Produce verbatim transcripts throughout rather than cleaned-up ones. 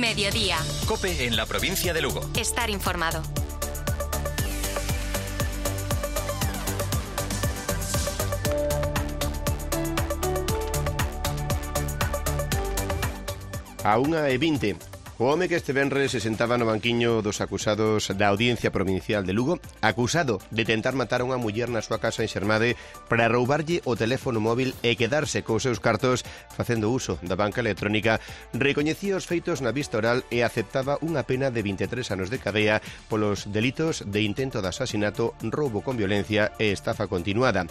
Mediodía. COPE en la provincia de Lugo. Estar informado. A unha e vinte, o home que este venres se sentaba no banquiño dos acusados da Audiencia Provincial de Lugo, acusado de tentar matar a unha muller na súa casa en Xermade para roubarlle o teléfono móvil e quedarse cos seus cartos facendo uso da banca electrónica, recoñecía os feitos na vista oral e aceptaba unha pena de vinte e tres anos de cadea polos delitos de intento de asasinato, roubo con violencia e estafa continuada.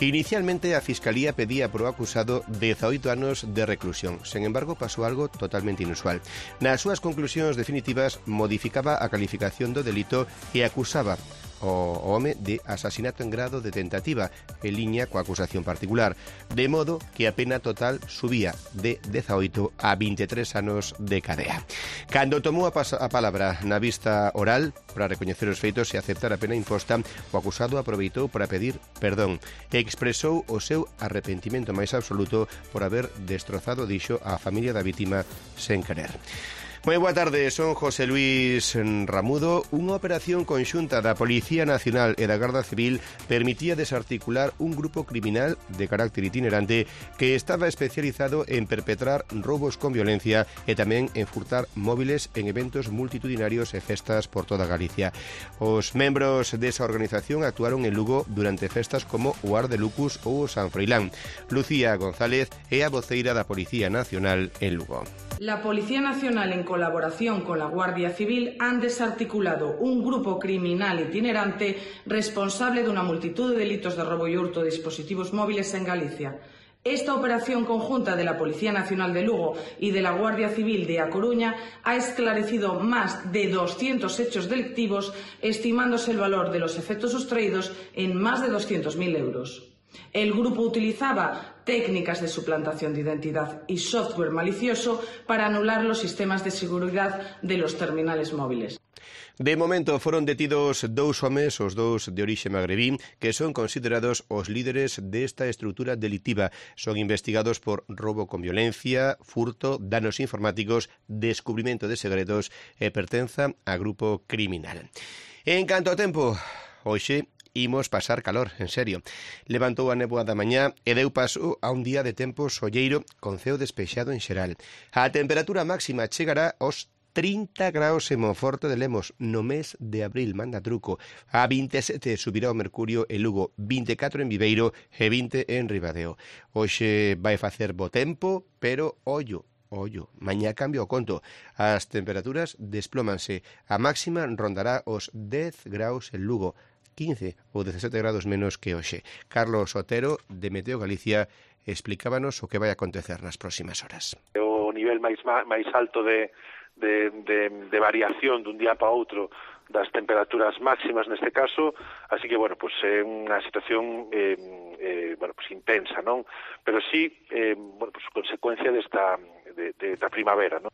Inicialmente a Fiscalía pedía pro acusado dezaoito anos de reclusión. Sen embargo, pasou algo totalmente inusual. Nas súas conclusións definitivas modificaba a calificación do delito e acusaba o home de asasinato en grado de tentativa, en liña coa acusación particular, de modo que a pena total subía de dezaoito a vinte e tres anos de cadea. Cando tomou a, a palabra na vista oral para recoñecer os feitos e aceptar a pena imposta, o acusado aproveitou para pedir perdón e expresou o seu arrepentimento máis absoluto por haber destrozado, dixo, a familia da vítima sen querer. Moi boa tarde, son José Luis Ramudo. Unha operación conxunta da Policía Nacional e da Garda Civil permitía desarticular un grupo criminal de carácter itinerante que estaba especializado en perpetrar roubos con violencia e tamén en furtar móviles en eventos multitudinarios e festas por toda Galicia. Os membros desa organización actuaron en Lugo durante festas como o Ar de Lucus ou o San Froilán. Lucía González é a voceira da Policía Nacional en Lugo. La Policía Nacional, en colaboración con la Guardia Civil, han desarticulado un grupo criminal itinerante responsable de una multitud de delitos de robo y hurto de dispositivos móviles en Galicia. Esta operación conjunta de la Policía Nacional de Lugo y de la Guardia Civil de A Coruña ha esclarecido más de doscientos hechos delictivos, estimándose el valor de los efectos sustraídos en más de doscientos mil euros. El grupo utilizaba técnicas de suplantación de identidad y software malicioso para anular los sistemas de seguridad de los terminales móviles. De momento foron detidos dous homes, os dous de orixe magrebí, que son considerados os líderes desta estrutura delictiva. Son investigados por roubo con violencia, furto, danos informáticos, descubrimento de segredos e pertenza a grupo criminal. En canto ao tempo, hoxe imos pasar calor, en serio. Levantou a néboa da mañá e deu paso a un día de tempo solleiro con ceo despexado en xeral. A temperatura máxima chegará aos trinta graus en Monforte de Lemos no mes de abril, manda truco. A vinte e sete subirá o mercurio en Lugo, vinte e catro en Viveiro e vinte en Ribadeo. Hoxe vai facer bo tempo, pero ollo, ollo, mañá cambio o conto. As temperaturas desplómanse. A máxima rondará os dez graus en Lugo, quince ou dezasete grados menos que hoxe. Carlos Otero, de Meteo Galicia, explicábanos o que vai acontecer nas próximas horas. O nivel máis máis alto de, de, de, de variación dun día para outro das temperaturas máximas neste caso, así que, bueno, pues é unha situación eh, eh, bueno, pues intensa, non? Pero sí, eh, bueno, pues consecuencia desta de, de, da primavera, non?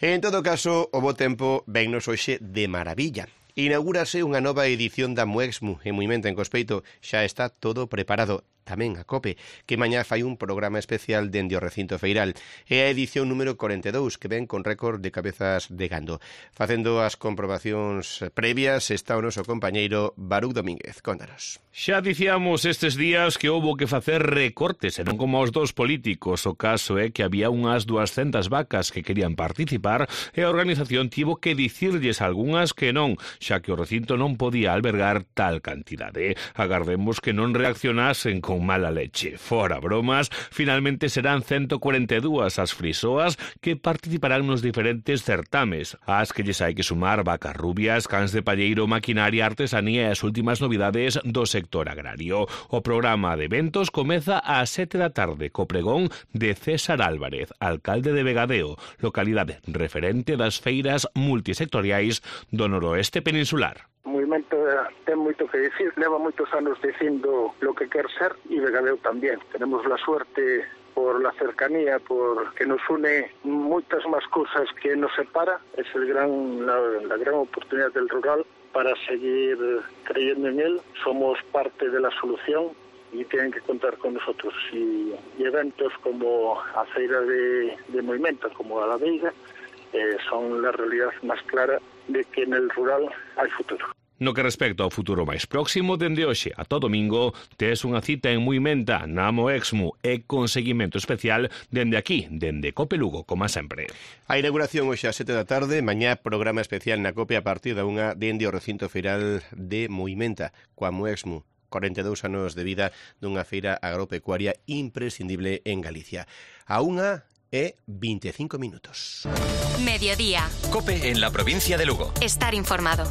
En todo caso, o bo tempo vennos hoxe de maravilla. Inaugúrase unha nova edición da Muexmu en Muimenta, en Cospeito. Xa está todo preparado. Tamén a COPE, que mañá fai un programa especial dende o recinto feiral. É a edición número corenta e dous, que ven con récord de cabezas de gando. Facendo as comprobacións previas está o noso compañeiro Baruch Domínguez. Contanos. Xa dicíamos estes días que houbo que facer recortes, e non como os dos políticos. O caso é que había unhas duascentas vacas que querían participar e a organización tivo que dicirlles algunhas que non, xa que o recinto non podía albergar tal cantidade. Agardemos que non reaccionasen con mala leche. Fora bromas, finalmente serán ciento cuarenta e dúas as frisoas que participarán nos diferentes certames, as que lles hai que sumar vacas rubias, cans de palleiro, maquinaria, artesanía e as últimas novidades do sector agrario. O programa de eventos comeza ás sete da tarde co pregón de César Álvarez, alcalde de Vegadeo, localidade referente das feiras multisectoriais do noroeste peninsular. O movimento ten moito que decir, leva moitos anos dicindo lo que quer ser e Vegadeo tamén. Tenemos la suerte por la cercanía, por que nos une moitas máis cousas que nos separa. Es el gran, la, la gran oportunidad del rural para seguir creyendo en él. Somos parte de la solución y tienen que contar con nosotros. Y, y eventos como a Feira de, de Movimento, como a la Veiga, eh, son la realidad más clara de que en el rural hay futuro. No que respecta ao futuro máis próximo, dende hoxe ata o domingo, tes unha cita en Muimenta, na Moexmu, e con seguimento especial dende aquí, dende Cope Lugo, como sempre. A inauguración hoxe ás sete da tarde, mañá programa especial na Cope a partir da unha dende o recinto feiral de Muimenta, coa Moexmu. corenta e dous anos de vida dunha feira agropecuaria imprescindible en Galicia. A unha e vinte e cinco minutos. Mediodía. Cope en la provincia de Lugo. Estar informado.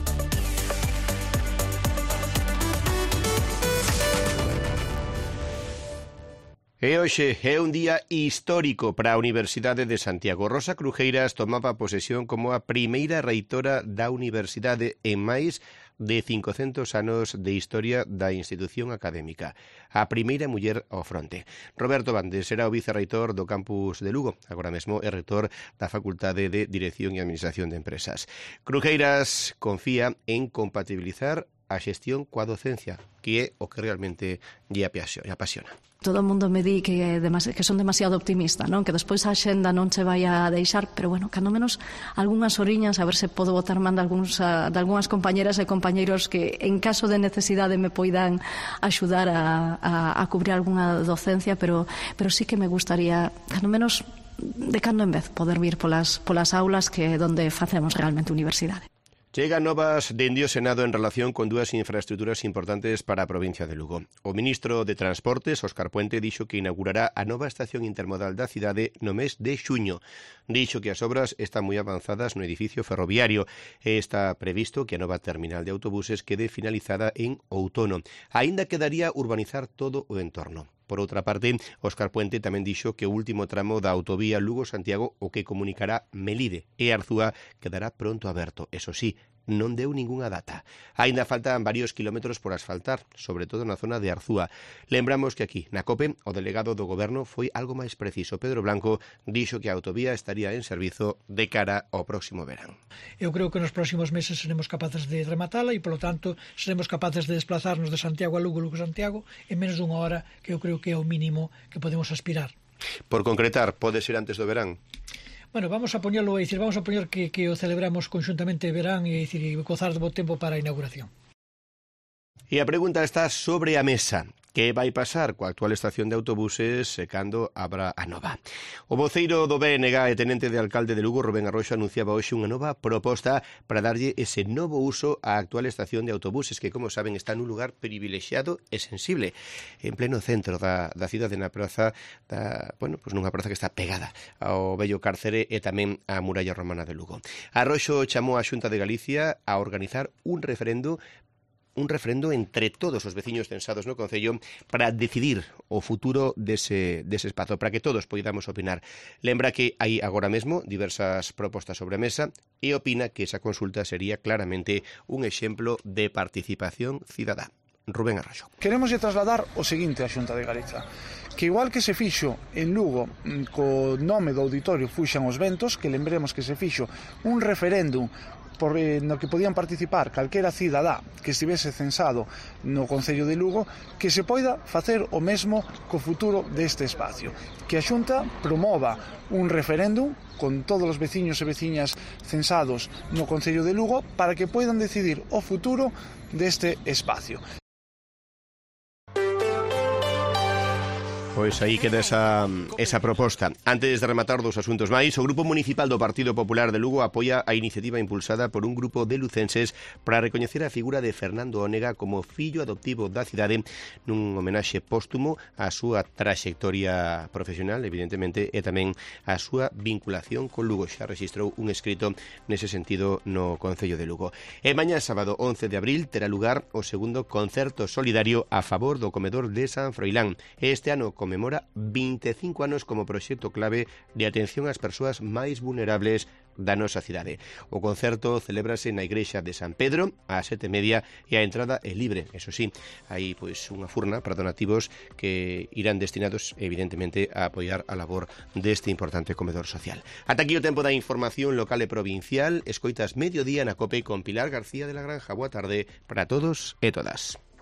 E hoxe é un día histórico para a Universidade de Santiago. Rosa Crujeiras tomaba posesión como a primeira reitora da Universidade en máis de cincocentos anos de historia da institución académica. A primeira muller ao fronte. Roberto Bandes era o vicerreitor do campus de Lugo. Agora mesmo é reitor da Facultade de Dirección e Administración de Empresas. Crujeiras confía en compatibilizar a xestión coa docencia, que é o que realmente lle apasiona. Todo o mundo me di que, que son demasiado optimista, non? Que despois a xenda non se vai a deixar, pero bueno, cando menos algunhas oriñas, a ver se podo botar man de, algúns, de algunhas compañeras e compañeiros que en caso de necesidade me poidan axudar a, a, a cubrir algunha docencia, pero, pero sí que me gustaría, cando menos de cando en vez, poder vir polas, polas aulas que é onde facemos realmente universidade. Chegan novas dende o Senado en relación con dúas infraestructuras importantes para a provincia de Lugo. O ministro de Transportes, Óscar Puente, dixo que inaugurará a nova estación intermodal da cidade no mes de xuño. Dixo que as obras están moi avanzadas no edificio ferroviario e está previsto que a nova terminal de autobuses quede finalizada en outono. Aínda quedaría urbanizar todo o entorno. Por outra parte, Óscar Puente tamén dixo que o último tramo da autovía Lugo-Santiago, o que comunicará Melide e Arzúa, quedará pronto aberto. Eso sí, non deu ningunha data. Aínda faltan varios kilómetros por asfaltar, sobre todo na zona de Arzúa. Lembramos que aquí, na COPE, o delegado do Goberno foi algo máis preciso. Pedro Blanco dixo que a autovía estaría en servizo de cara ao próximo verán. Eu creo que nos próximos meses seremos capaces de rematala e, polo tanto, seremos capaces de desplazarnos de Santiago a Lugo, Lugo-Santiago, en menos dunha hora, que eu creo que é o mínimo que podemos aspirar. Por concretar, pode ser antes do verán? Bueno, vamos a poñelo, é dicir, vamos a poñer que, que o celebramos conxuntamente verán e, dicir, e gozar do bo tempo para a inauguración. E a pregunta está sobre a mesa. Que vai pasar coa actual estación de autobuses e cando abra a nova? O voceiro do B N G e tenente de alcalde de Lugo, Rubén Arroxo, anunciaba hoxe unha nova proposta para darlle ese novo uso á actual estación de autobuses que, como saben, está nun lugar privilexiado e sensible, en pleno centro da, da cidade, na praza da, bueno, pues nunha praza que está pegada ao vello cárcere e tamén á muralla romana de Lugo. Arroxo chamou á Xunta de Galicia a organizar un referendo un referendo entre todos os veciños censados no Concello para decidir o futuro dese, dese espazo, para que todos poidamos opinar. Lembra que hai agora mesmo diversas propostas sobre a mesa e opina que esa consulta sería claramente un exemplo de participación cidadá. Rubén Arroxo. Queremos trasladar o seguinte á Xunta de Galiza, que igual que se fixo en Lugo co nome do auditorio Fuxan os Ventos, que lembremos que se fixo un referéndum por, eh, no que podían participar calquera cidadá que estivese censado no Concello de Lugo, que se poida facer o mesmo co futuro deste espacio. Que a Xunta promova un referéndum con todos os veciños e veciñas censados no Concello de Lugo para que poidan decidir o futuro deste espacio. Pois aí queda esa, esa proposta. Antes de rematar dos asuntos máis, o Grupo Municipal do Partido Popular de Lugo apoia a iniciativa impulsada por un grupo de lucenses para recoñecer a figura de Fernando Ónega como fillo adoptivo da cidade nun homenaxe póstumo á súa traxectoria profesional, evidentemente, e tamén á súa vinculación con Lugo. Xa registrou un escrito nese sentido no Concello de Lugo. E mañá sábado once de abril terá lugar o segundo concerto solidario a favor do comedor de San Froilán. Este ano conmemora vinte e cinco anos como proxecto clave de atención ás persoas máis vulnerables da nosa cidade. O concerto celébrase na igrexa de San Pedro ás sete e media e a entrada é libre. Eso sí, hai pois unha furna para donativos que irán destinados evidentemente a apoiar a labor deste importante comedor social. Ata aquí o tempo da información local e provincial. Escoitas Mediodía na COPE con Pilar García de la Granja. Boa tarde para todos e todas.